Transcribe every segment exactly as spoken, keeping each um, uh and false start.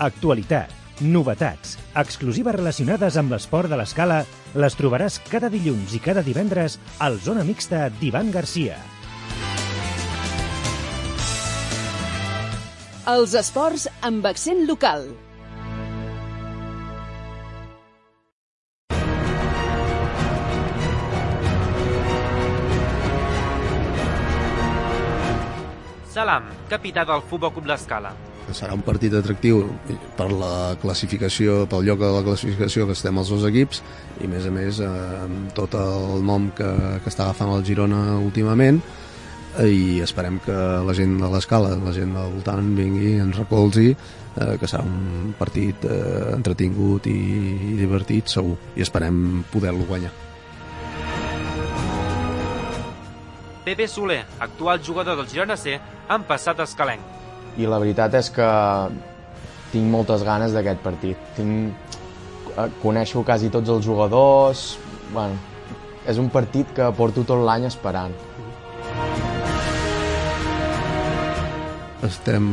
Actualitat, novetats, exclusives relacionades amb l'esport de l'Escala les trobaràs cada dilluns i cada divendres al Zona Mixta d'Ivan Garcia. Els esports amb accent local. Salam, capità del Futbol Club l'Escala. Serà un partit atractiu per la classificació, pel lloc de la classificació que estem els dos equips i, a més a més, amb tot el nom que, que està agafant el Girona últimament, i esperem que la gent de l'Escala, la gent del voltant vingui, ens recolzi, eh, que serà un partit eh, entretingut i, i divertit, segur, i esperem poder-lo guanyar. Pepe Soler, actual jugador del Girona C, en passat escalenc. I la veritat és que tinc moltes ganes d'aquest partit. Tinc... Coneixo quasi tots els jugadors. Bueno, és un partit que porto tot l'any esperant. Estem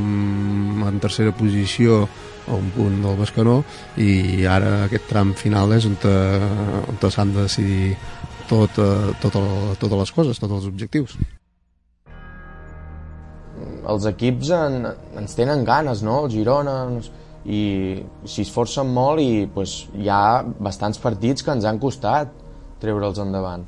en tercera posició a un punt del Bescanó i ara aquest tram final és on, te, on te s'han de decidir tot, tot el, totes les coses, tots els objectius. Els equips en, ens tenen ganes, no? El Girona, i s'hi esforcen molt i pues, hi ha bastants partits que ens han costat treure'ls endavant.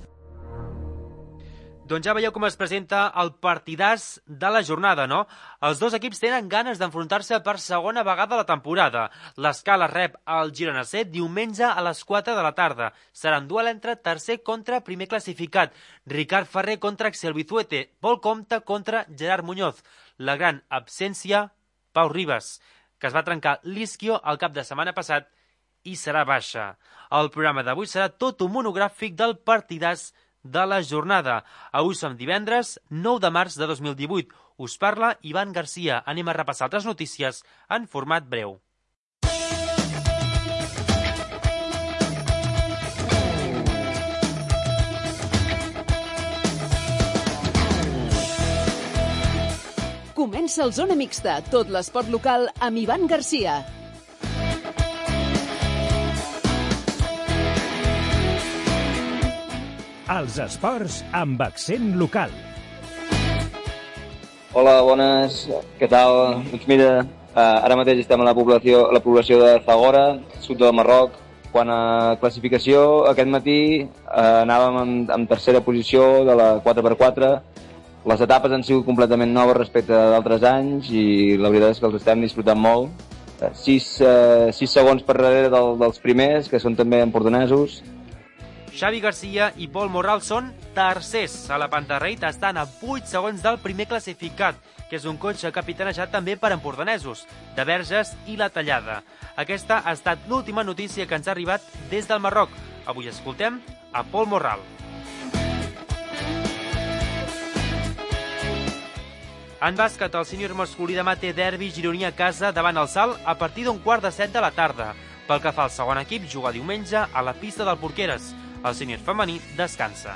Doncs ja veieu com es presenta el partidàs de la jornada, no? Els dos equips tenen ganes d'enfrontar-se per segona vegada a la temporada. L'Escala rep el Girona C diumenge a les quatre de la tarda. Serà un duel entre tercer contra primer classificat. Ricard Ferrer contra Axel Bizuete. Pol Compte contra Gerard Muñoz. La gran absència, Pau Ribas, que es va trencar l'isquio el cap de setmana passat i serà baixa. El programa d'avui serà tot un monogràfic del partidàs de la jornada. Avui som divendres nou de març de dos mil divuit. Us parla Ivan Garcia. Anem a repassar altres notícies en format breu. Comença el Zona Mixta, tot l'esport local amb Ivan Garcia. Els esports amb accent local. Hola, bones, què tal? Doncs mira, ara mateix estem a la població, a la població de Zagora, sud del Marroc. Quant a classificació, aquest matí eh, anàvem en, en tercera posició de la quatre per quatre. Les etapes han sigut completament noves respecte a d'altres anys i la veritat és que els estem disfrutant molt. Sis, eh, sis segons per darrere del, dels primers, que són també empordanesos. Xavi Garcia i Pol Morral són tercers a la Pantarreit, estan a vuit segons del primer classificat, que és un cotxe capitanejat també per empordanesos, de Verges i La Tallada. Aquesta ha estat l'última notícia que ens ha arribat des del Marroc. Avui escoltem a Pol Morral. En bàsquet, el sènior masculí demà té derbi gironí a casa davant el Salt a partir d'un quart de set de la tarda. Pel que fa al segon equip, juga diumenge a la pista del Porqueres. El sènior femení descansa.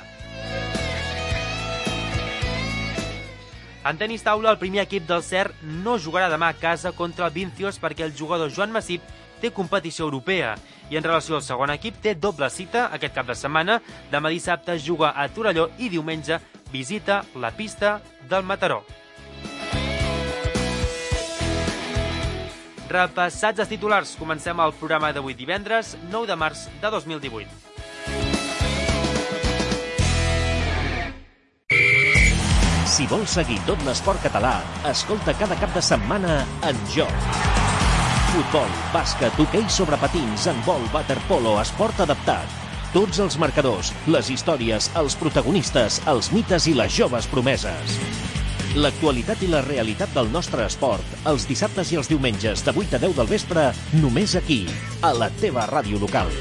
En tenis taula, el primer equip del C E R no jugarà demà a casa contra el Vincios perquè el jugador Joan Massip té competició europea. I en relació al segon equip, té doble cita aquest cap de setmana. Demà dissabte juga a Torelló i diumenge visita la pista del Mataró. Repassats els titulars, comencem el programa d'avui divendres, nou de març de dos mil divuit. Si vols seguir tot l'esport català, escolta cada cap de setmana En Joc. Futbol, bàsquet, hoquei sobre patins, handbol, waterpolo, esport adaptat. Tots els marcadors, les històries, els protagonistes, els mites i les joves promeses. L'actualitat i la realitat del nostre esport, els dissabtes i els diumenges de vuit a deu del vespre, només aquí, a la teva ràdio local.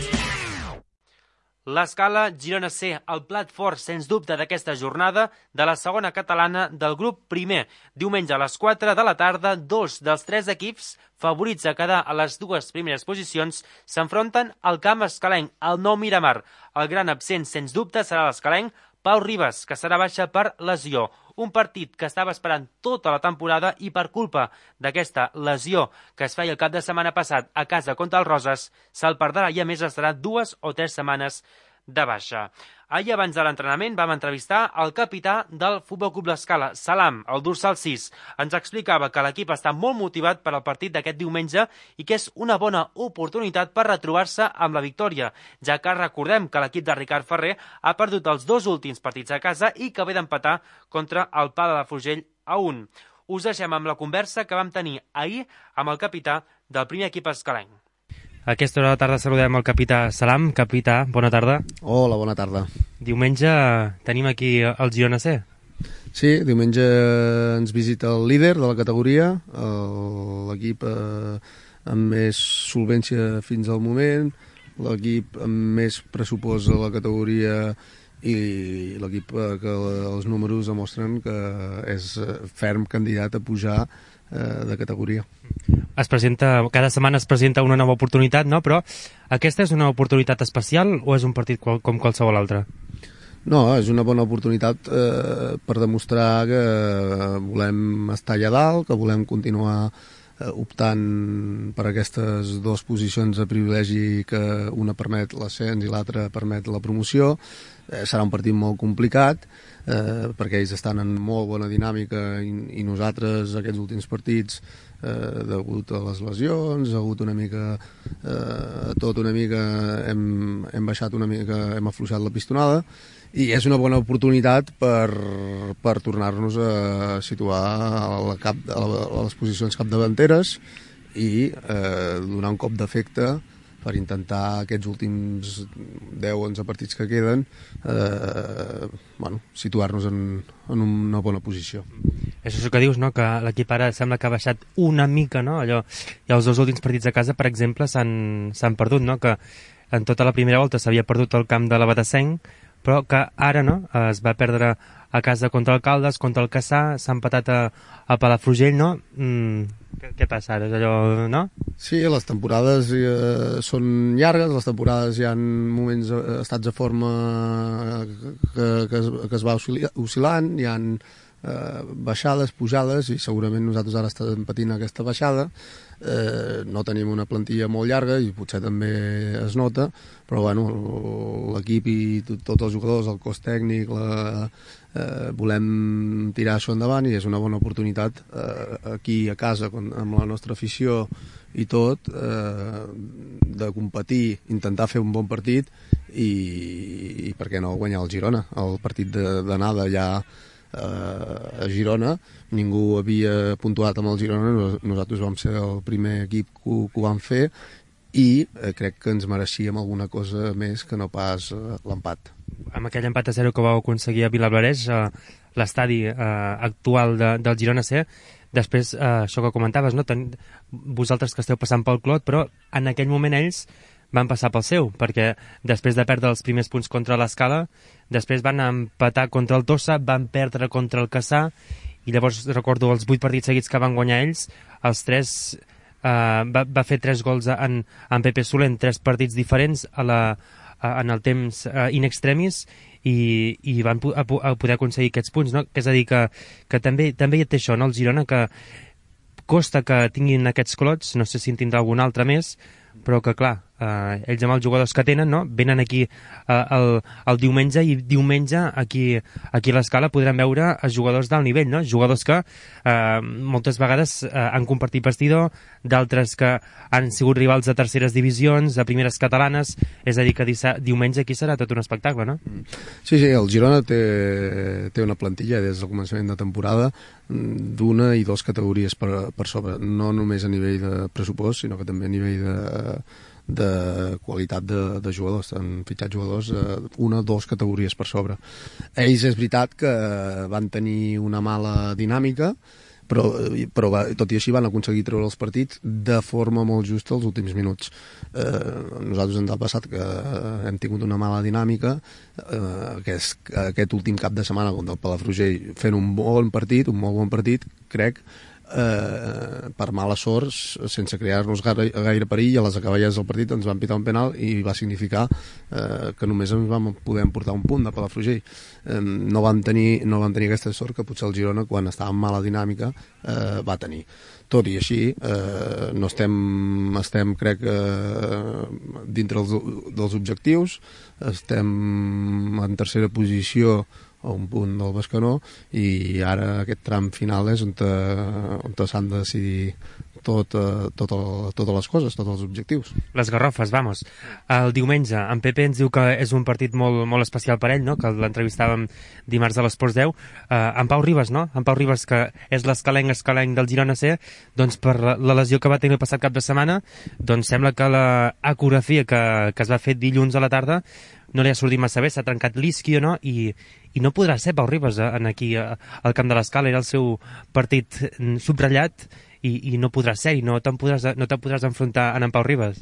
L'Escala Girona C, el plat fort, sens dubte, d'aquesta jornada de la segona catalana del grup primer. Diumenge a les quatre de la tarda, dos dels tres equips favorits a quedar a les dues primeres posicions s'enfronten al camp escalenc, al nou Miramar. El gran absent, sens dubte, serà l'escalenc. Pau Ribas, que serà baixa per lesió. Un partit que estava esperant tota la temporada i per culpa d'aquesta lesió que es feia el cap de setmana passat a casa contra el Roses, se'l perdrà i a més estarà dues o tres setmanes de baixa. Ahir, abans de l'entrenament, vam entrevistar el capità del Futbol Club L'Escala, Salam, el dorsal sis. Ens explicava que l'equip està molt motivat per al partit d'aquest diumenge i que és una bona oportunitat per retrobar-se amb la victòria, ja que recordem que l'equip de Ricard Ferrer ha perdut els dos últims partits a casa i que ve d'empatar contra el Pla de la Frugell a un. Us deixem amb la conversa que vam tenir ahir amb el capità del primer equip escalenc. A aquesta hora de la tarda saludem el capità Salam. Capità, bona tarda. Hola, bona tarda. Diumenge tenim aquí el Girona C. Sí, diumenge ens visita el líder de la categoria, l'equip amb més solvència fins al moment, l'equip amb més pressupost a la categoria i l'equip que els números demostren que és ferm candidat a pujar de categoria. Es presenta, cada setmana es presenta una nova oportunitat, no? Però aquesta és una oportunitat especial o és un partit qual, com qualsevol altre? No, és una bona oportunitat eh, per demostrar que volem estar allà dalt, que volem continuar eh, optant per aquestes dues posicions de privilegi que una permet l'ascens i l'altra permet la promoció. Eh, serà un partit molt complicat eh, perquè ells estan en molt bona dinàmica i, i nosaltres aquests últims partits eh, degut a les lesions, degut una mica eh, tot una mica hem, hem baixat una mica, hem afluixat la pistonada i és una bona oportunitat per, per tornar-nos a situar a, la cap, a, la, a les posicions capdavanteres i eh, donar un cop d'efecte per intentar aquests últims deu o onze partits que queden eh, bueno, situar-nos en, en una bona posició. És això que dius, no? Que l'equip ara sembla que ha baixat una mica, no? Allò, i els dos últims partits a casa, per exemple, s'han perdut, no? Que en tota la primera volta s'havia perdut el camp de la Batassenc, però que ara no, es va perdre a casa contra el Caldes, contra el Cassà, s'ha empatat a, a Palafrugell, no? Mm, què, què passa ara? És allò, no? Sí, les temporades eh, són llargues, les temporades hi ha moments, eh, estats de forma que, que, es, que es va oscil·lant, hi ha eh, baixades, pujades, i segurament nosaltres ara estem patint aquesta baixada. Eh, no tenim una plantilla molt llarga i potser també es nota, però bueno, l'equip i tot, tots els jugadors, el cos tècnic, la, eh, volem tirar això endavant i és una bona oportunitat eh, aquí a casa amb la nostra afició i tot eh, de competir, intentar fer un bon partit i, i per què no guanyar el Girona. El partit d'anada ja a Girona, ningú havia puntuat amb el Girona, nosaltres vam ser el primer equip que ho, que ho vam fer i eh, crec que ens mereixíem alguna cosa més que no pas eh, l'empat. Amb aquell empat a zero que vau aconseguir a Vilablareix, eh, l'estadi eh, actual de, del Girona C, després, eh, això que comentaves, no? Ten, vosaltres que esteu passant pel Clot, però en aquell moment ells van passar pel seu, perquè després de perdre els primers punts contra l'Escala, després van empatar contra el Tossa, van perdre contra el Cassà, i llavors recordo els vuit partits seguits que van guanyar ells, els tres, eh, va, va fer tres gols en, en Pepe Soler en tres partits diferents a la, a, en el temps eh, in extremis, i, i van a, a poder aconseguir aquests punts, no? És a dir, que, que també, també hi té això, no? El Girona, que costa que tinguin aquests clots, no sé si en tindrà algun altre més, però que clar, eh, ells amb els jugadors que tenen, no? Venen aquí eh, el, el diumenge i diumenge aquí, aquí a l'Escala podran veure els jugadors d'alt nivell, no? Jugadors que eh, moltes vegades eh, han compartit vestidor, d'altres que han sigut rivals de terceres divisions, de primeres catalanes, és a dir que diumenge aquí serà tot un espectacle, no? Sí, sí, el Girona té, té una plantilla des del començament de temporada d'una i dues categories per, per sobre, no només a nivell de pressupost, sinó que també a nivell de de qualitat de, de jugadors, han fitxat jugadors eh, una o dues categories per sobre. Ells és veritat que van tenir una mala dinàmica, però, però va, tot i així van aconseguir treure els partits de forma molt justa els últims minuts. Eh, nosaltres ens ha passat que hem tingut una mala dinàmica, eh, que és aquest últim cap de setmana contra el Palafrugell fent un bon partit, un molt bon partit, crec, eh, per mala sort, sense crear-nos gaire, gaire perill, a les acaballes del partit ens van pitar un penal i va significar eh, que només ens vam poder emportar un punt de Palafrugell. Eh, no, vam tenir, no vam tenir aquesta sort que potser el Girona, quan estava en mala dinàmica, eh, va tenir. Tot i així, eh, no estem, estem crec, eh, dintre dels, dels objectius, estem en tercera posició a un punt del Bescanó i ara aquest tram final és on, te, on te s'han de decidir tot, eh, tot el, totes les coses, tots els objectius. Les garrofes, vamos. El diumenge, en Pepe ens diu que és un partit molt, molt especial per ell, no? Que l'entrevistàvem dimarts a l'Esports deu. Uh, en Pau Ribas, no? En Pau Ribas, que és l'escalenc escalenc del Girona C, doncs per la, la lesió que va tenir el passat cap de setmana, doncs sembla que l'ecografia que, que es va fer dilluns a la tarda no li ha sortit massa bé, s'ha trencat l'isquio, no? I, i no podrà ser Pau Ribas eh, en aquí eh, al camp de l'Escala, era el seu partit subratllat i, i no podrà ser, i no te'n podràs, no te podràs enfrontar en en Pau Ribas.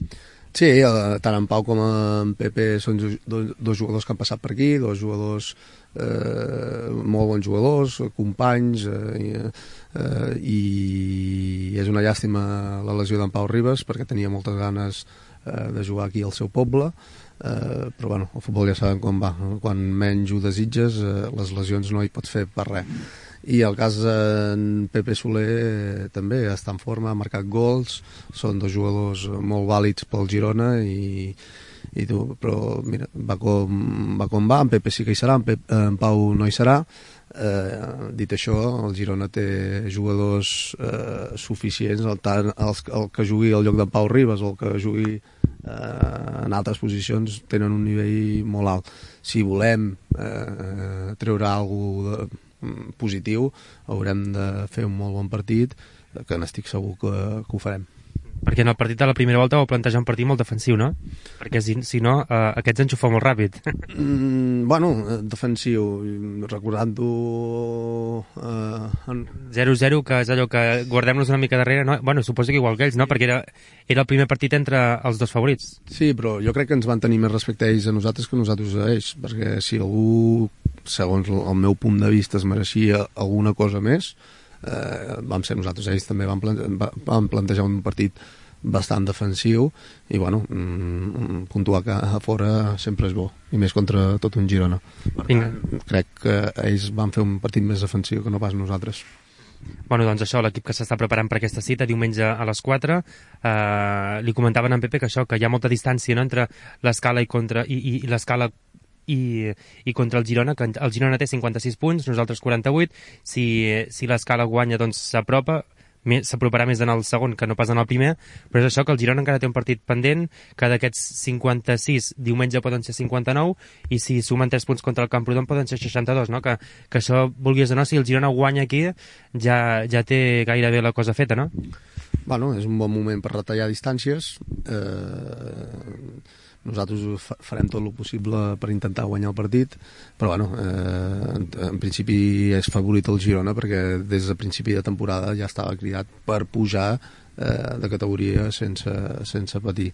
Sí, eh, tant en Pau com en Pepe són dos, dos jugadors que han passat per aquí, dos jugadors eh, molt bons jugadors, companys, eh, eh, i és una llàstima la lesió d'en Pau Ribas perquè tenia moltes ganes eh, de jugar aquí al seu poble. Uh, però bueno, el futbol ja sabem com va, no? Quan menys ho desitges, uh, les lesions no hi pots fer per res. I el cas en Pepe Soler eh, també està en forma, ha marcat gols, són dos jugadors molt vàlids pel Girona i, i tu, però mira, va com, va com va, en Pepe sí que hi serà, en, Pepe, en Pau no hi serà. Eh, dit això, el Girona té jugadors eh, suficients, el, tant, el, el que jugui al lloc d'en Pau Ribas o el que jugui eh, en altres posicions tenen un nivell molt alt. Si volem eh, treure alguna cosa positiu, haurem de fer un molt bon partit, que n'estic segur que, que ho farem. Perquè en el partit de la primera volta vau plantejar un partit molt defensiu, no? Perquè si, si no, eh, aquests enxufa molt ràpid. Mm, bueno, defensiu, recordant-ho... Eh, en... zero zero, que és allò que guardem-nos una mica darrere, no? Bueno, suposo que igual que ells, no? Perquè era, era el primer partit entre els dos favorits. Sí, però jo crec que ens van tenir més respecte a ells a nosaltres que nosaltres a ells, perquè si algú, segons el meu punt de vista, es mereixia alguna cosa més, Eh, vam ser nosaltres, ells també van, plante van plantejar un partit bastant defensiu i bueno, mm, puntuar que a fora sempre és bo, i més contra tot un Girona. Vinga. Crec que ells van fer un partit més defensiu que no pas nosaltres. Bueno, doncs això, l'equip que s'està preparant per aquesta cita, diumenge a les quatre, eh, li comentaven a en Pepe que això, que hi ha molta distància, no?, entre l'Escala i, contra, i, i, i l'Escala I, i contra el Girona, que el Girona té cinquanta-sis punts, nosaltres quaranta-vuit. Si, si l'Escala guanya, doncs s'apropa, s'aproparà més en el segon que no pas en el primer, però és això, que el Girona encara té un partit pendent, que d'aquests cinquanta-sis diumenge poden ser cinquanta-nou, i si sumen tres punts contra el Camprodon poden ser seixanta-dos, no? Que, que això, vulguis o no, si el Girona guanya aquí ja, ja té gairebé la cosa feta, no? Bueno, és un bon moment per retallar distàncies. eh... Nosaltres farem tot el possible per intentar guanyar el partit, però bueno, eh, en, en principi és favorit el Girona perquè des de principi de temporada ja estava cridat per pujar eh, de categoria sense, sense patir.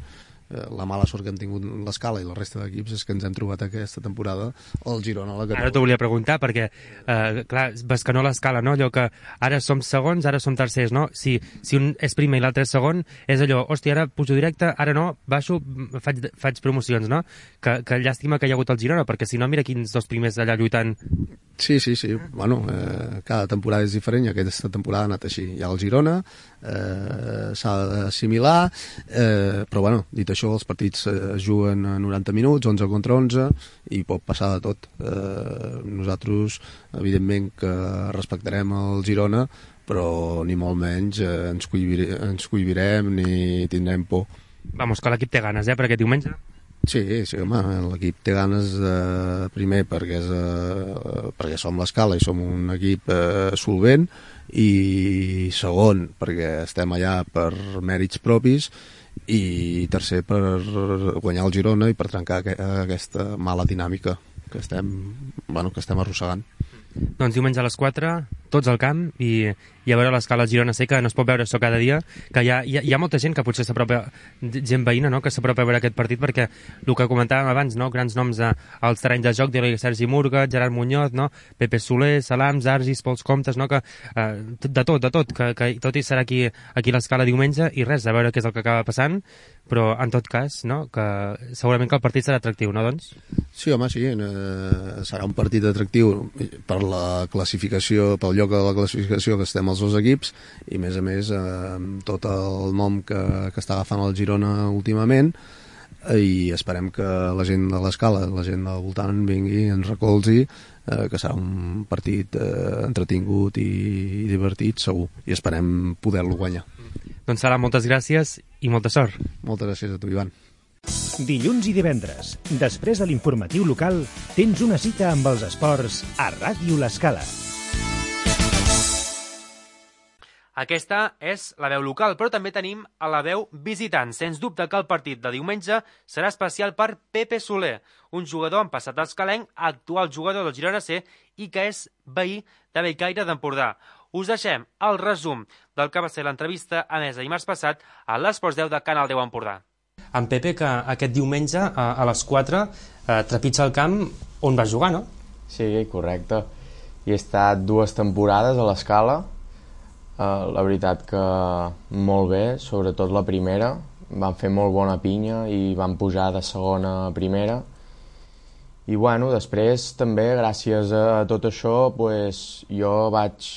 Eh, la mala sort que hem tingut l'Escala i la resta d'equips és que ens hem trobat aquesta temporada el Girona a la categoria. Ara t'ho volia preguntar perquè, eh, clar, Bescanó l'Escala, no? Allò que ara som segons, ara som tercers, no? Si, si un és primer i l'altre és segon, és allò, hòstia, ara pujo directe, ara no, baixo, faig, faig promocions, no? Que, que llàstima que hi ha hagut el Girona, perquè si no, mira quins dos primers allà lluitant. Sí, sí, sí. Bueno, eh, cada temporada és diferent i aquesta temporada ha anat així. Hi ha el Girona, eh, s'ha d'assimilar, eh, però bueno, dit això, els partits es juguen a noranta minuts, onze contra onze, i pot passar de tot. Eh, nosaltres, evidentment, que respectarem el Girona, però ni molt menys eh, ens, cohibire, ens cohibirem ni tindrem por. Vamos, que l'equip té ganes, eh, per aquest diumenge? Sí, sí, home, l'equip té ganes de, primer perquè, és, eh, perquè som l'Escala i som un equip eh, solvent, i segon perquè estem allà per mèrits propis, i tercer per guanyar el Girona i per trencar aquesta mala dinàmica que estem, bueno, que estem arrossegant. Doncs diumenge a les quatre, tots al camp, i, i i a veure l'escala al Girona C, que no es pot veure això cada dia, que hi ha, hi ha, hi ha molta gent que potser s'apropa, gent veïna, no?, que s'apropa a veure aquest partit, perquè el que comentàvem abans, no?, grans noms a, als terrenys de joc, de Sergi Murga, Gerard Muñoz, no?, Pepe Soler, Salams, Argis, Pols Comtes, no?, que eh, de tot, de tot, que, que tot i serà aquí, aquí l'escala diumenge, i res, a veure què és el que acaba passant, però en tot cas, no?, que segurament que el partit serà atractiu, no, doncs? Sí, home, sí, eh, serà un partit atractiu per la classificació, pel lloc de la classificació que estem els dos equips, i a més a més eh, amb tot el nom que, que està agafant el Girona últimament, i esperem que la gent de l'escala, la gent del voltant vingui, ens recolzi, eh, que serà un partit eh, entretingut i, i divertit, segur, i esperem poder-lo guanyar. Doncs Sala, moltes gràcies i molta sort. Moltes gràcies a tu, Ivan. Dilluns i divendres, després de l'informatiu local, tens una cita amb els esports a Ràdio L'Escala. Aquesta és la veu local, però també tenim a la veu visitant. Sens dubte que el partit de diumenge serà especial per Pepe Soler, un jugador amb passat escalenc, actual jugador del Girona C i que és veí de Bellcaire d'Empordà. Us deixem el resum del que va ser l'entrevista emesa dimarts passat a l'Esports deu de Canal deu Empordà. En Pepe, que aquest diumenge a, a les quatre eh, trepitja el camp on va jugar, no? Sí, correcte. He estat dues temporades a l'Escala. Uh, la veritat que molt bé, sobretot la primera. Van fer molt bona pinya i van pujar de segona a primera. I bueno, després també, gràcies a tot això, pues, jo vaig,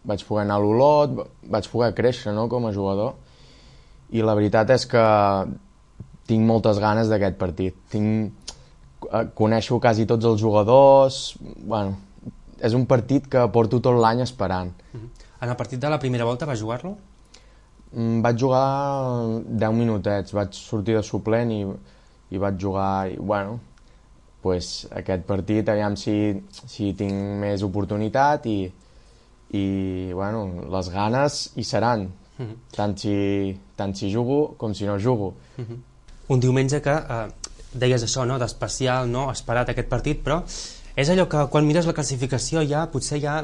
vaig poder anar a l'Olot, vaig poder créixer, no?, com a jugador. I la veritat és que tinc moltes ganes d'aquest partit. Tinc, coneixo quasi tots els jugadors. Bueno, és un partit que porto tot l'any esperant. Mm-hmm. En el partit de la primera volta va jugar-lo? Mm, vaig jugar deu minutets, vaig sortir de suplent i, i vaig jugar, i bueno, pues, aquest partit, aviam si, si tinc més oportunitat i, i bueno, les ganes hi seran, mm-hmm. tant, si, tant si jugo com si no jugo. Mm-hmm. Un diumenge que eh, deies això, no?, d'especial, no?, esperat aquest partit, però és allò que quan mires la classificació ja potser ja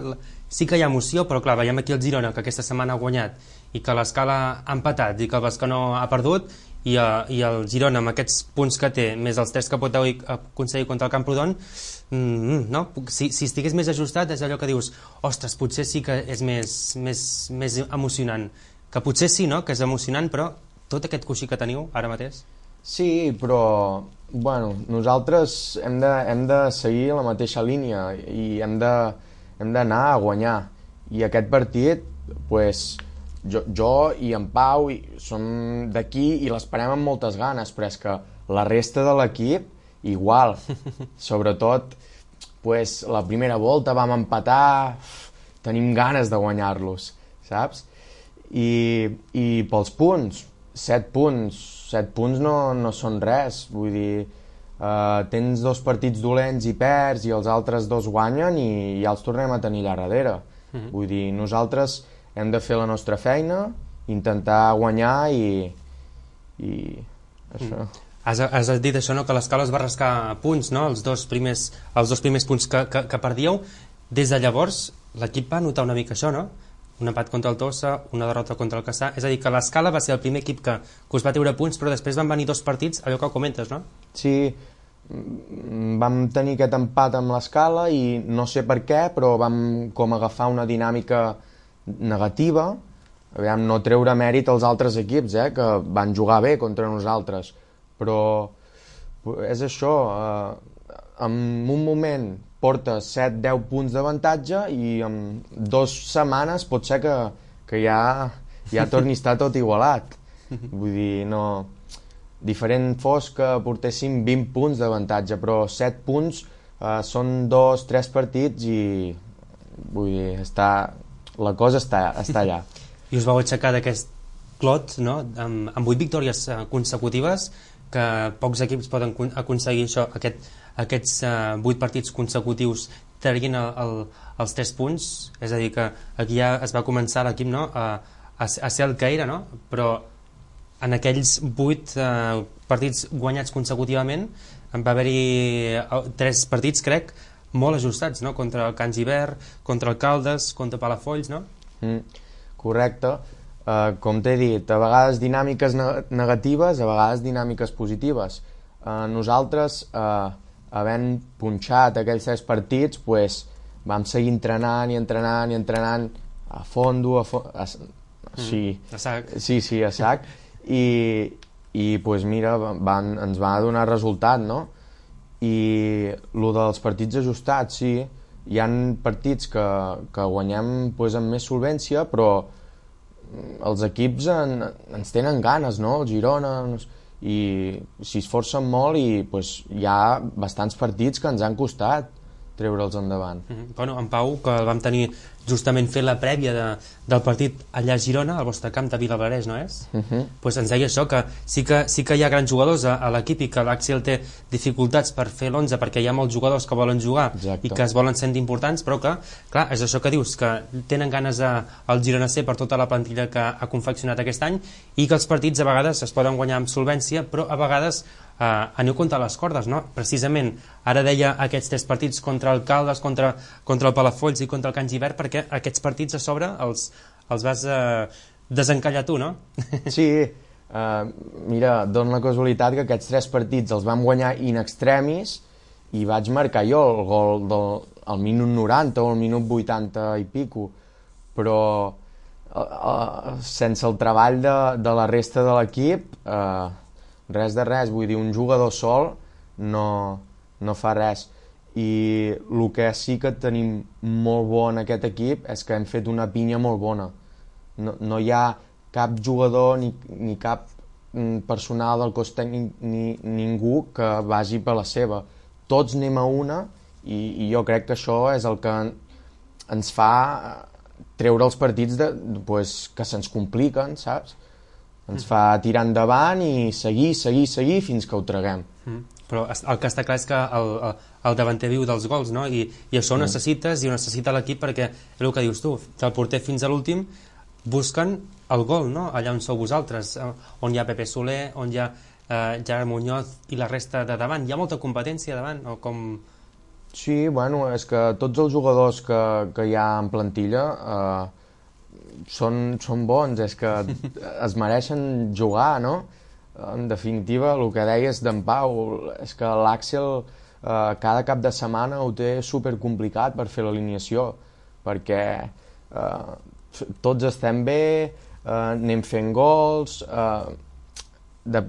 sí que hi ha emoció, però clar, veiem aquí el Girona que aquesta setmana ha guanyat i que l'Escala ha empatat i que el Bescanó ha perdut i, uh, i el Girona amb aquests punts que té més els tres que pot aconseguir contra el Camprodon, mm, no? si, si estigués més ajustat és allò que dius, ostres, potser sí que és més, més, més emocionant, que potser sí, no?, que és emocionant, però tot aquest coixí que teniu ara mateix. Sí, però bueno, nosaltres hem de, hem de seguir la mateixa línia i hem de, hem d'anar a guanyar. I aquest partit, pues, jo, jo i en Pau i som d'aquí i l'esperem amb moltes ganes, però és que la resta de l'equip igual. Sobretot, pues, la primera volta vam empatar, tenim ganes de guanyar-los, saps? I, i pels punts, set punts, set punts no, no són res, vull dir, uh, tens dos partits dolents i perds i els altres dos guanyen i ja els tornem a tenir allà darrere. Mm-hmm. Vull dir, nosaltres hem de fer la nostra feina, intentar guanyar i, i això. Mm. Has, has dit això, no?, que l'Escala es va rascar punts, no?, els dos primers, els dos primers punts que, que, que perdíeu. Des de llavors l'equip va notar una mica això, no?, un empat contra el Tossa, una derrota contra el Cassà, és a dir, que l'Escala va ser el primer equip que, que us va treure punts, però després van venir dos partits, allò que comentes, no? Sí, vam tenir aquest empat amb l'Escala i no sé per què, però vam com agafar una dinàmica negativa, aviam, no treure mèrit als altres equips, eh, que van jugar bé contra nosaltres, però és això, eh, en un moment porta set deu punts d'avantatge i en dues setmanes pot ser que, que ja, ja torni a estar tot igualat. Vull dir, no... Diferent fos que portéssim vint punts d'avantatge, però set punts eh, són dos, tres partits i vull dir, està, la cosa està, està allà. I us vau aixecar d'aquest clot, no?, amb, amb vuit victòries consecutives, que pocs equips poden aconseguir això, aquest, aquests uh, vuit partits consecutius traient el, el, els tres punts, és a dir, que aquí ja es va començar l'equip, no?, a, a, a ser el que era, no?, però en aquells vuit uh, partits guanyats consecutivament va haver-hi tres partits, crec, molt ajustats, no?, contra el Can Gibert, contra el Caldes, contra Palafolls, no? Mm. correcte. Uh, com t'he dit, a vegades dinàmiques ne negatives, a vegades dinàmiques positives. Uh, nosaltres, uh, havent punxat aquells tres partits, pues, vam seguir entrenant i entrenant i entrenant a fondo, a fo a, sí, mm, a sac. Sí, sí, a sac. I, i pues, mira, van, ens va donar resultat, no? I el dels partits ajustats, sí, hi ha partits que, que guanyem pues, amb més solvència, però els equips en, ens tenen ganes, no? El Girona, i s'hi esforcen molt i pues, hi ha bastants partits que ens han costat treure'ls endavant. Mm -hmm. Bueno, en Pau, que el vam tenir justament fent la prèvia de, del partit allà a Girona, al vostre camp de Vilablareix, no és? Uh -huh. Pues ens deia això, que sí que, sí que hi ha grans jugadors a, a l'equip i que l'Axel té dificultats per fer l'onze perquè hi ha molts jugadors que volen jugar. Exacte. I que es volen sentir importants, però que, clar, és això que dius, que tenen ganes a, al Girona C per tota la plantilla que ha confeccionat aquest any i que els partits a vegades es poden guanyar amb solvència, però a vegades Uh, aneu contra les cordes, no? Precisament ara deia aquests tres partits contra el Caldes, contra, contra el Palafolls i contra el Can Givert, perquè aquests partits a sobre els, els vas uh, desencallar tu, no? Sí, uh, mira, dona la casualitat que aquests tres partits els vam guanyar in extremis i vaig marcar jo el gol del, al minut noranta o al minut vuitanta i pico, però uh, uh, sense el treball de, de la resta de l'equip uh, res de res, vull dir, un jugador sol no, no fa res. I el que sí que tenim molt bo en aquest equip és que hem fet una pinya molt bona. No, no hi ha cap jugador ni, ni cap personal del cos tècnic ni ningú que vagi per la seva. Tots anem a una i, i jo crec que això és el que ens fa treure els partits de, pues, que se'ns compliquen, saps? Ens fa tirar endavant i seguir, seguir, seguir fins que ho traguem. Mm. Però el que està clar és que el, el, el davanter viu dels gols, no? I, i això ho necessites i ho necessita l'equip perquè és el que dius tu, del porter fins a l'últim busquen el gol, no? Allà on sou vosaltres, on hi ha Pepe Soler, on hi ha eh, Gerard Muñoz i la resta de davant. Hi ha molta competència davant? O com... Sí, bueno, és que tots els jugadors que, que hi ha en plantilla eh, Són, són bons, és que es mereixen jugar, no? En definitiva, el que deies d'en Pau, és que l'Àxel eh, cada cap de setmana ho té supercomplicat per fer l'alineació, perquè eh, tots estem bé, eh, anem fent gols, eh, de,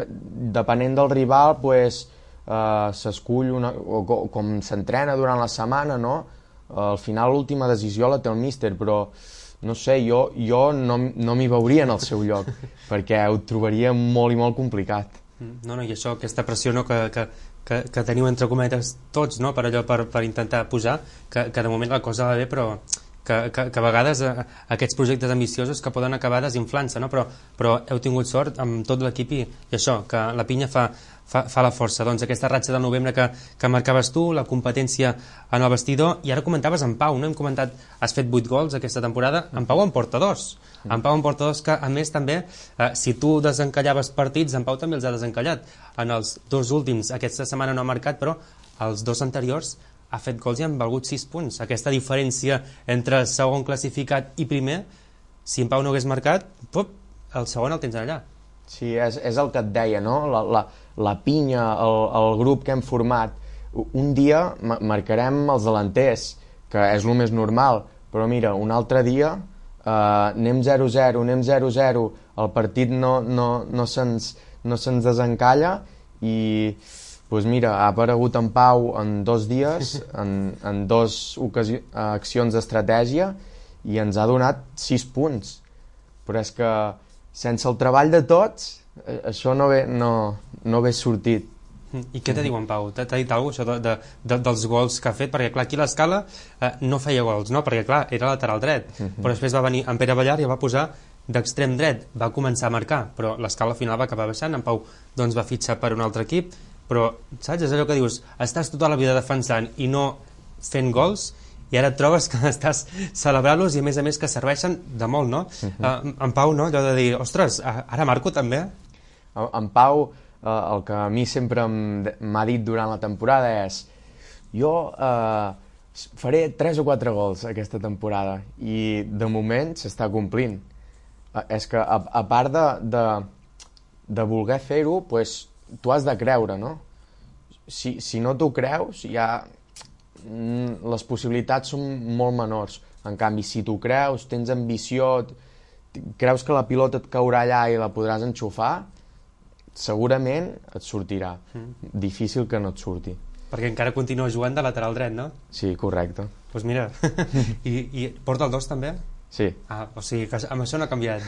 depenent del rival, pues, eh, s'escull una, o, o com s'entrena durant la setmana, no? Al final l'última decisió la té el míster, però no sé, jo, jo no, no m'hi veuria en el seu lloc, perquè ho trobaria molt i molt complicat. No, no, i això, aquesta pressió no, que, que, que, que teniu entre cometes tots, no, per allò, per, per intentar pujar, que, que de moment la cosa va bé, però que, que, que a vegades eh, aquests projectes ambiciosos que poden acabar desinflant-se, no? però, però heu tingut sort amb tot l'equip i, i això, que la pinya fa, fa, fa la força. Doncs aquesta ratxa del novembre que, que marcaves tu, la competència en el vestidor, i ara comentaves en Pau, no? Hem comentat, has fet vuit gols aquesta temporada, en Pau en porta dos. En Pau en porta dos que, a més, també, eh, si tu desencallaves partits, en Pau també els ha desencallat. En els dos últims, aquesta setmana no ha marcat, però els dos anteriors ha fet gols i han valgut sis punts. Aquesta diferència entre segon classificat i primer, si en Pau no hagués marcat, pop, el segon el tens allà. Sí, és, és el que et deia, no? La, la, la pinya, el, el grup que hem format. Un dia marcarem els delanters, que és el més normal, però mira, un altre dia eh, anem zero zero, anem zero zero, el partit no, no, no se'ns no se'ns desencalla i pues mira, ha aparegut en Pau en dos dies, en, en dos accions d'estratègia i ens ha donat sis punts. Però és que sense el treball de tots això no ve, no, no ve sortit. I què te diu en Pau? T'ha dit alguna cosa de, de, de, dels gols que ha fet? Perquè clar, aquí a l'Escala eh, no feia gols, no? Perquè clar, era lateral dret, uh -huh. però després va venir en Pere Ballar i el va posar d'extrem dret, va començar a marcar, però l'Escala al final va acabar baixant, en Pau doncs va fitxar per un altre equip, però saps, és allò que dius, estàs tota la vida defensant i no fent gols i ara et trobes que estàs celebrant-los i a més a més que serveixen de molt, no? Uh -huh. uh, en Pau, no? Allò de dir, ostres, ara marco també? En Pau, uh, el que a mi sempre m'ha dit durant la temporada és jo uh, faré tres o quatre gols aquesta temporada i de moment s'està complint. és que a, a part de, de, de voler fer-ho, pues, tu has de creure, no? Si, si no t'ho creus, ja les possibilitats són molt menors. En canvi, si t'ho creus, tens ambició, creus que la pilota et caurà allà i la podràs enxufar, segurament et sortirà. Mm. Difícil que no et surti. Perquè encara continua jugant de lateral dret, no? Sí, correcte. Doncs pues mira, I, i porta el dos també? Sí. Ah, o sigui, que amb això no ha canviat.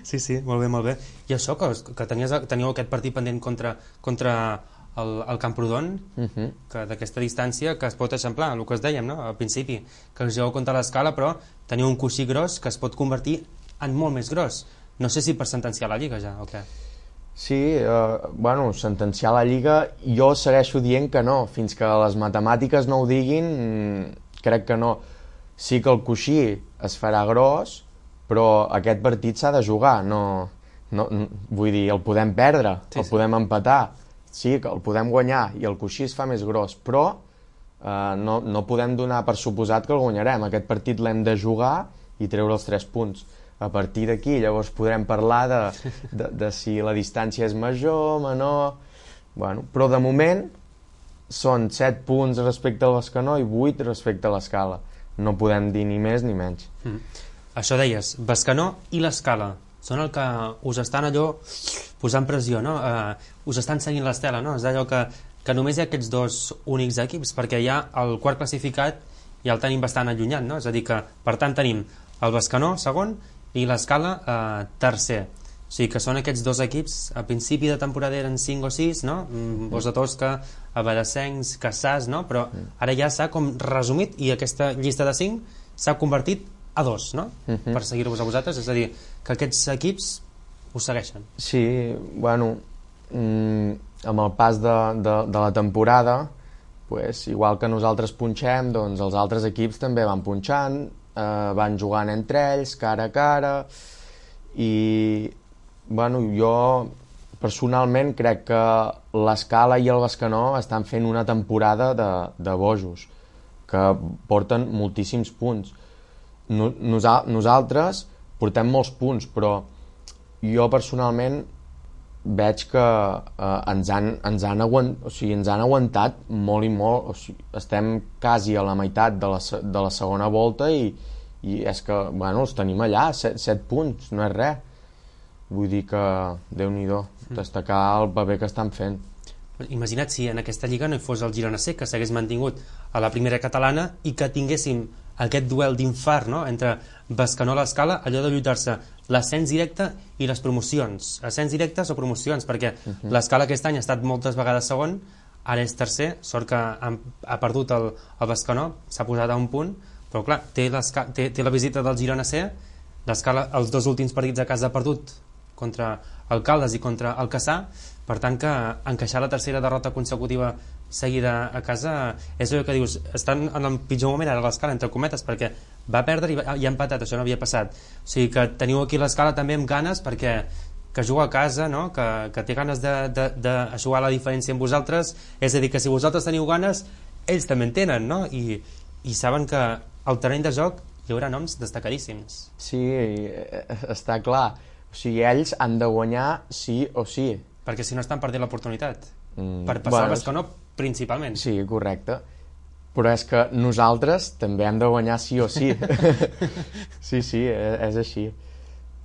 Sí, sí, molt bé, molt bé. I això, que, que tenies, teníeu aquest partit pendent contra, contra el, el Camprodon, uh -huh. que d'aquesta distància que es pot eixamplar, el que es dèiem, no?, al principi, que us jugueu contra l'Escala, però teniu un coixí gros que es pot convertir en molt més gros. No sé si per sentenciar la Lliga ja, o què? Sí, eh, bueno, sentenciar la Lliga, jo segueixo dient que no. Fins que les matemàtiques no ho diguin, crec que no. Sí que el coixí es farà gros, però aquest partit s'ha de jugar. No, no, vull dir, el podem perdre, sí, el sí. podem empatar, sí, que el podem guanyar i el coixí es fa més gros, però eh, no, no podem donar per suposat que el guanyarem. Aquest partit l'hem de jugar i treure els tres punts. A partir d'aquí llavors podrem parlar de, de, de si la distància és major, menor... Bueno, però de moment són set punts respecte al Bescanó i vuit respecte a l'Escala. No podem dir ni més ni menys. Mm. Això deies, Bescanó i l'Escala són el que us estan allò posant pressió, no? Uh, us estan seguint l'estela, no? És allò que, que només hi ha aquests dos únics equips, perquè ja el quart classificat ja el tenim bastant allunyat, no? És a dir que, per tant, tenim el Bescanó segon i l'Escala eh, tercer. O sigui que són aquests dos equips, a principi de temporada eren cinc o sis, no? Mm, Bosch de Tosca, Abadassencs, Cassàs, no? Però ara ja s'ha com resumit i aquesta llista de cinc s'ha convertit a dos, no? Uh-huh. Per seguir-vos a vosaltres, és a dir, que aquests equips us segueixen. Sí, bueno, mm, amb el pas de, de, de la temporada, pues, igual que nosaltres punxem, doncs els altres equips també van punxant, eh, van jugant entre ells, cara a cara, i bueno, jo personalment crec que l'Escala i el Bescanó estan fent una temporada de, de bojos, que porten moltíssims punts. No, nosa, nosaltres portem molts punts, però jo personalment veig que eh, ens, han, ens, han aguant, o sigui, ens han aguantat molt i molt, o sigui, estem quasi a la meitat de la, de la segona volta i, i és que, bueno, els tenim allà, set, set punts, no és res. Vull dir que, Déu-n'hi-do, destacar el paper que estan fent. Imagina't si en aquesta lliga no hi fos el Girona C, que s'hagués mantingut a la primera catalana i que tinguéssim aquest duel d'infart, no?, entre Bescanó i l'Escala, allò de lluitar-se l'ascens directe i les promocions, ascens directes o promocions, perquè uh -huh. l'Escala aquest any ha estat moltes vegades segon, ara és tercer, sort que ha, ha perdut el, el Bescanó, s'ha posat a un punt, però clar, té, té, té la visita del Girona C, l'Escala els dos últims partits a casa ha perdut contra el Caldes i contra el Cassà, per tant que encaixar la tercera derrota consecutiva seguida a casa és allò que dius, estan en el pitjor moment ara l'Escala, entre cometes, perquè va perdre i, va, i ha empatat, això no havia passat, o sigui que teniu aquí l'Escala també amb ganes perquè que juga a casa, no? que, que té ganes de, de, de jugar la diferència amb vosaltres, és a dir, que si vosaltres teniu ganes ells també en tenen, no? I, i saben que al terreny de joc hi haurà noms destacadíssims. Sí, està clar, o sigui, ells han de guanyar sí o sí, perquè si no estan perdent l'oportunitat mm, per passar bueno, al Bescanó principalment. Sí, correcte, però és que nosaltres també hem de guanyar sí o sí. Sí, sí, és així.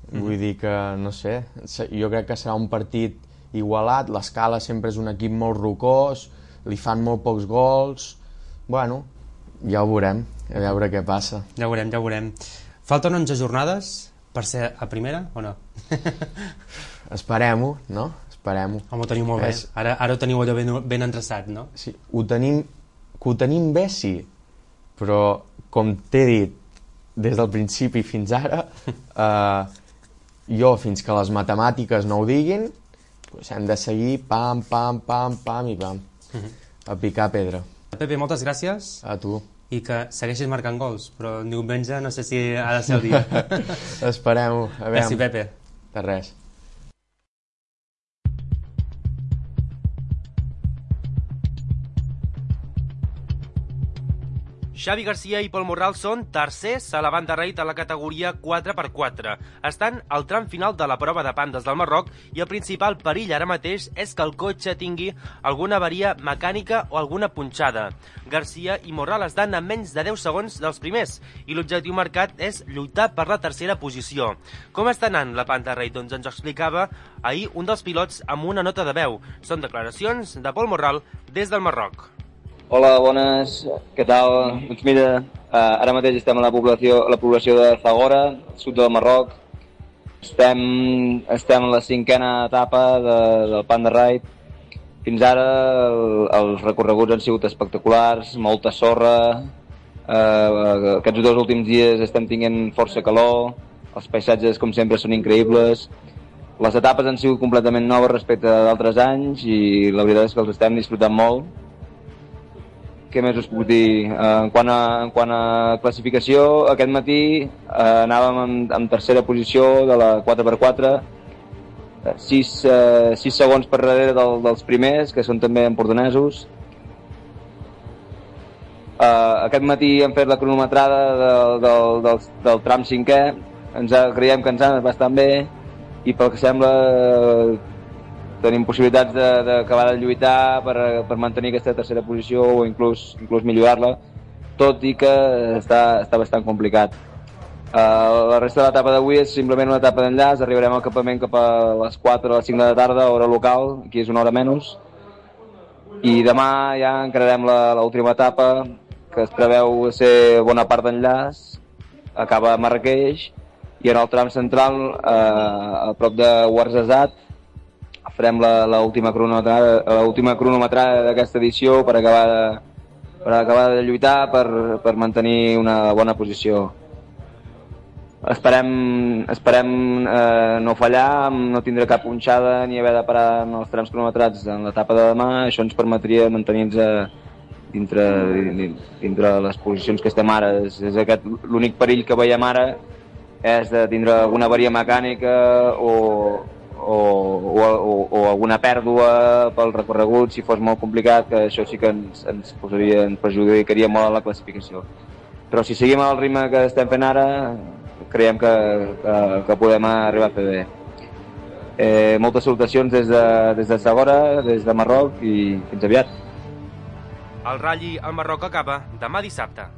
Mm. Vull dir que, no sé, jo crec que serà un partit igualat, l'Escala sempre és un equip molt rocós, li fan molt pocs gols, bueno, ja ho veurem, a veure què passa. Ja ho veurem, ja ho veurem. Falten onze jornades per ser a primera o no? Esperem-ho, no? Esperem-ho. Home, ho teniu molt bé. És... Ara, ara ho teniu allò ben, ben endreçat, no? Sí, ho tenim, que ho tenim bé, sí, però com t'he dit des del principi fins ara, eh, jo fins que les matemàtiques no ho diguin, doncs hem de seguir pam, pam, pam, pam i pam, uh-huh. a picar pedra. Pepe, moltes gràcies. A tu. I que segueixis marcant gols, però diumenge no sé si ha de ser el dia. Esperem-ho. Gràcies, Pepe. De res. Xavi Garcia i Pol Morral són tercers a la banda rate a la categoria quatre per quatre. Estan al tram final de la prova de pandes del Marroc i el principal perill ara mateix és que el cotxe tingui alguna avaria mecànica o alguna punxada. Garcia i Morral estan a menys de deu segons dels primers i l'objectiu marcat és lluitar per la tercera posició. Com està anant la panda rate? Doncs ens ho explicava ahir un dels pilots amb una nota de veu. Són declaracions de Pol Morral des del Marroc. Hola, bones, què tal? Doncs mira, uh, ara mateix estem a la població, a la població de Zagora, sud del Marroc. Estem, estem en la cinquena etapa de, del Panda Ride. Fins ara el, els recorreguts han sigut espectaculars, molta sorra. Uh, aquests dos últims dies estem tinguent força calor, els paisatges, com sempre, són increïbles. Les etapes han sigut completament noves respecte d'altres anys i la veritat és que els estem disfrutant molt. Què més us puc dir? En quant a, en quant a classificació, aquest matí eh, anàvem en, en tercera posició de la quatre per quatre, sis segons per darrere del, dels primers, que són també empordanesos. Eh, aquest matí hem fet la cronometrada del, del, del, del tram cinquè, ens ha, creiem que ens ha anat bastant bé i pel que sembla eh, tenim possibilitats d'acabar de, de lluitar per, per mantenir aquesta tercera posició o inclús, inclús millorar-la, tot i que està, està bastant complicat. Uh, la resta de l'etapa d'avui és simplement una etapa d'enllaç, arribarem al campament cap a les quatre o les cinc de la tarda, hora local, aquí és una hora menys, i demà ja encararem l'última etapa, que es preveu ser bona part d'enllaç, acaba a Marrakeix, i en el tram central, uh, a prop de Ouarzazate, farem l'última cronometrada, cronometrada d'aquesta edició per acabar de, per acabar de lluitar per, per mantenir una bona posició. Esperem, esperem eh, no fallar, no tindre cap punxada ni haver de parar en els trams cronometrats en l'etapa de demà. Això ens permetria mantenir-nos dintre, dintre les posicions que estem ara. És, és aquest l'únic perill que veiem ara, és de tindre alguna avaria mecànica o O, o, o, o alguna pèrdua pel recorregut, si fos molt complicat, que això sí que ens, ens, posaria, ens perjudicaria molt a la classificació. Però si seguim al ritme que estem fent ara, creiem que, que, que podem arribar a fer bé. Eh, moltes salutacions des de, des de Zagora, des de Marroc, i fins aviat. El Rally al Marroc acaba demà dissabte.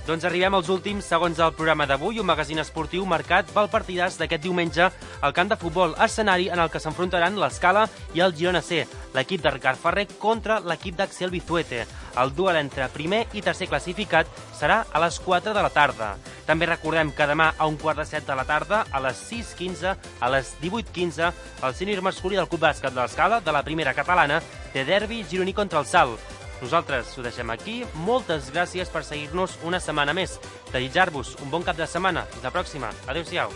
Doncs arribem als últims segons del programa d'avui, un magazín esportiu marcat pel partidàs d'aquest diumenge al camp de futbol, escenari en el que s'enfrontaran l'Escala i el Girona C, l'equip de Ricard Ferrer contra l'equip d'Axel Bizuete. El duel entre primer i tercer classificat serà a les quatre de la tarda. També recordem que demà a un quart de set de la tarda, a les sis quinze, a les divuit quinze, el sènior masculí del Club Bàsquet de l'Escala, de la primera catalana, té derbi gironí contra el Salt. Nosaltres ho deixem aquí. Moltes gràcies per seguir-nos una setmana més. Desitjar-vos un bon cap de setmana. Fins la pròxima. Adéu-siau.